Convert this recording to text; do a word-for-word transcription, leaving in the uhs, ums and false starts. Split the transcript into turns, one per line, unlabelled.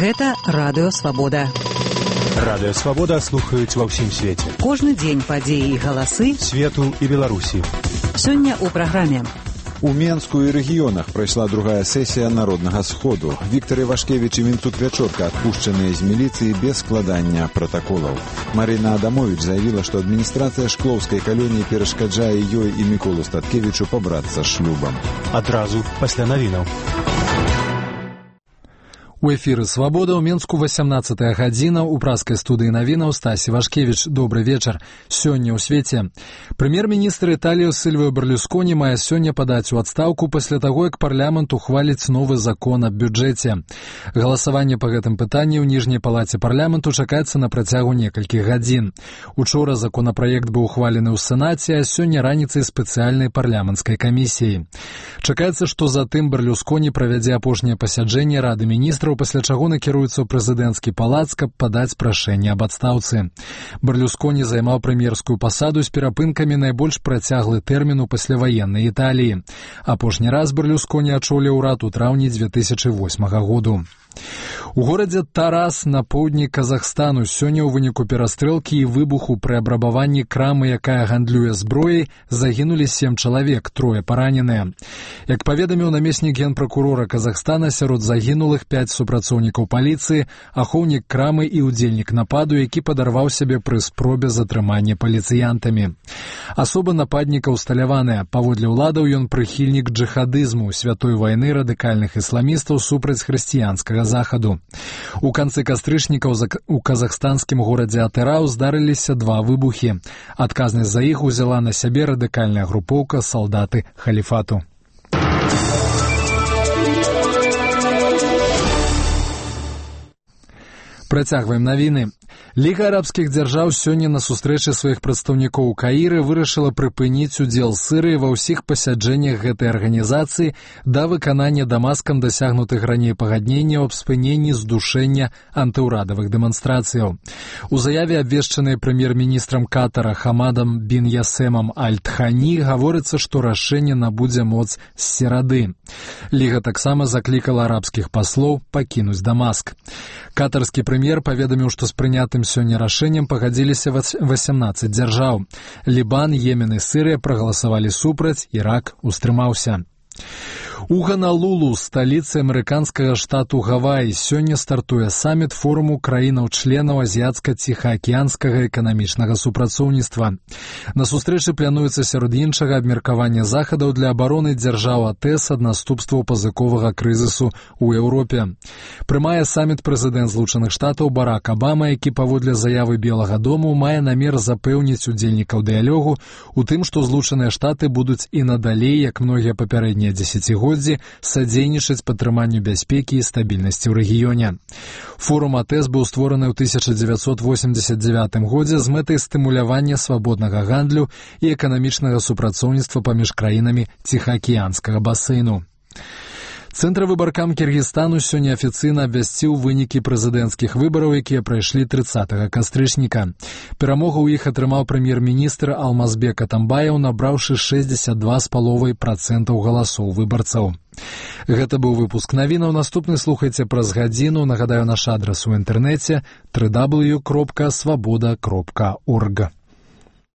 Гэта Радыё Свабода.
Радыё Свабода слухаюць ва ўсім свеце.
Кожны дзень падзеі і галасы
свету і Беларусі.
Сёння ў праграме.
У Менску і рэгіёнах прайшла другая сесія Народнага сходу. Віктор Івашкевіч і Мінцут Вячорка адпушчаныя з міліцыі без складання пратаколаў. Марына Адамовіч заявіла, што адміністрацыя шклоўскай калоніі перашкаджае ёй і Міколу Статкевічу пабрацца шлюбам.
Адразу пасля навінаў.
У эфіры «Свабода» ў Менску васямнаццатая гадзіна. У праскай студыі навінаў Стась Івашкевіч. Добры вечар. Сёння ў свеце. Прэм'ер-міністр Італіі Сільвіо Берлусконі мае сёння падаць у адстаўку пасля таго, як парламент ухваліць новы закон аб бюджэце. Галасаванне па гэтым пытанні ў ніжняй палаце парламенту чакаецца на працягу некалькіх гадзін. Учора законапраект быў ухвалены ў Сенаце, а сёння раніцай спецыяльнай парламенцкай камісіі. Чакаецца, што затым Берлусконі правядзе апошняе пасяджэнне Рады міністраў, пасля чаго накіруецца ў прэзідэнцкі палац, каб падаць прашэнне аб адстаўцы. Берлусконі займаў прэм'ерскую пасаду з перапынкамі найбольш працяглы тэрмін у пасляваеннай Італіі. Апошні раз Берлусконі ачоліў урад у траўні дзве тысячы восьмага году. У горадзе Тарас на поўдні Казахстану сёння ў выніку перастрэлкі і выбуху пры абрабаванні крамы, якая гандлюе зброяй, загінулі сем чалавек, трое параненыя. Як паведаміў намеснік генпракурора Казахстана, сярод загінулых пяць супрацоўнікаў паліцыі, ахоўнік крамы і ўдзельнік нападу, які падарваў сябе пры спробе затрымання паліцыянтамі. Асоба нападніка ўсталяваная. Паводле ўладаў ён прыхільнік джыхадызму, святой вайны радыкальных ісламістаў супраць хрысціянскага захаду. У канцы кастрычніка у казахстанскім горадзе Атырау здарыліся два выбухі. Адказнасць за іх узяла на сябе радыкальная групоўка салдаты халіфату. Працягваем навіны. Ліга арабскіх дзяржаў сёння на сустрэчы сваіх прадстаўнікоў у Каіры вырашыла прыпыніць удзел Сірыі ва ўсіх пасяджэннях гэтай арганізацыі да выканання Дамаскам дасягнутых раней пагадненняў аб спыненні здушэння антыўрадавых дэманстрацыяў. У заяве, абвешчанай прэм'ер-міністрам Катара Хамадам бін Ясемам Аль-Тхані, гаворыцца, што рашэнне набудзе моц з серады. Ліга таксама заклікала арабскіх паслоў пакінуць Дамаск. Катарскі прэм'ер паведаміў, што з прынятым сёння рашэннем пагадзіліся васямнаццаць дзяржаў. Лібан, Йемен і Сірыя прагаласавалі супраць, Ірак устрымаўся. У Ганалулу, сталіцы амерыканскага штату Гаваі, сёння стартуе саміт форуму краінаў-членаў азіяцка-ціхаакіянскага эканамічнага супрацоўніцтва. На сустрэчы плануецца сярод іншага абмеркавання захадаў для абароны дзяржаў АТЭС ад наступстваў пазыковага крызісу ў Еўропе. Прымае саміт прэзідэнт Злучаных Штатаў Барак Абама, які паводле заявы Белага дому мае намер запэўніць удзельнікаў дыялогу у тым, што Злучаныя Штаты будуць і надалей, як многія папярэднія дзесяцігоддзі, садзейнічаць падтрыманню бяспекі і стабільнасці ў рэгіёне. Форум АТЭС быў створаны ў тысяча дзевяцьсот восемьдзесят девятым годзе з мэтай стымулявання свабоднага гандлю і эканамічнага супрацоўніцтва паміж краінамі Ціхаакіянскага басейну. Цэнтравы баркам Кіргізстану сёння афіцыйна абвясціў вынікі прэзідэнцкіх выбараў, якія прайшлі трыццатага кастрычніка. Перамогу ў іх атрымаў прэм'ер-міністр Алмазбек Атамбаев, набраўшы шэсцьдзесят два з паловай працэнтаў галасоў выбарцаў. Гэта быў выпуск навінаў. Наступны слухайце праз гадзіну. Нагадаю, наш адрас у інтэрнэце дабл ю дабл ю дабл ю кропка свабода кропка орг.